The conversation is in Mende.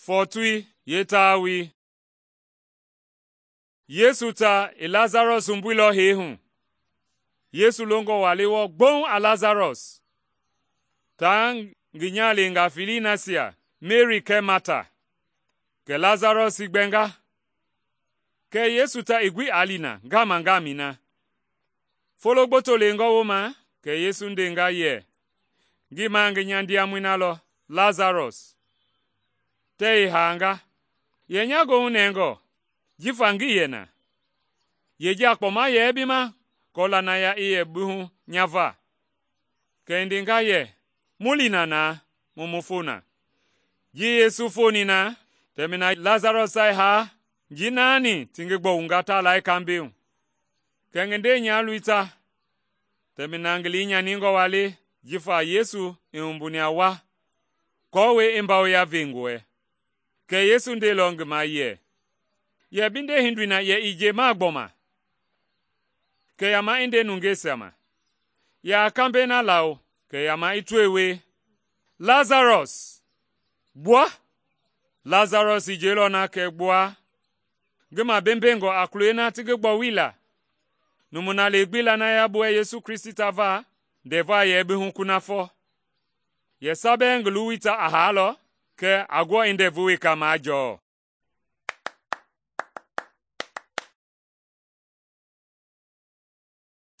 Fɔɔtui yeetawoi. Yesu ta i Lasarɔs wumbuilɔ hee hu. Yesu longɔ walei wɔɔ gbouŋ a Lasarɔs taa ngi nyahaleengaa felei nasia Meri kɛɛ Mata. Kɛ Lasarɔs i gbɛnga. Kɛɛ Yesu ta i gbi aa li na ngama-ngamɛi na. Folo gboto lengɔ wooma kɛ Yesu ndenga yɛ, ngii ma ngi nya ndiamɔi na lɔ Lasarɔs, tɛɛ i haanga. Yɛ nya goohu nɛngɔ jifa ngii yɛ na. Yeja kpɔma yɛ bi ma kɔɔ lanaya i yɛ bi hu nya va? Kɛ i ndenga yɛ, mu li na naa mu mu fo na. Ji Yesu foni na, tɛmina Lasarɔs ta i haa njii naani ti ngi gbɔwunga ta laa kambɛi hu. Kɛ ngi ndenyaaloi ta tɛmina ngi liinyaningɔ waa le jifa Yesu i wumbuni a wa aako i mbawoya vengɔɛ. Kɛ Yesu ndeilɔ ngi ma yɛ, yɛ bi ndehindoi na yɛ ii njemaa gbɔma, kɛ yama i nde nungeisia ma. Yaa kambɛi na lawo kɛ yama i tɔɛi wie. Lasarɔs, gbua! Lasarɔs i jeilɔ na kɛ gbua, ngi mabembengɔ a kuloi na ti ngi gbɔwui la. Numu na lee gbi lanaya buɛ Yesu Kristi ta va, ndɛva yɛ bi hu kunafɔ. Yɛ sa bɛɛ ngi luwui ta a haalɔ, kɛ a guɔ i ndɛvu weka majɔɔ.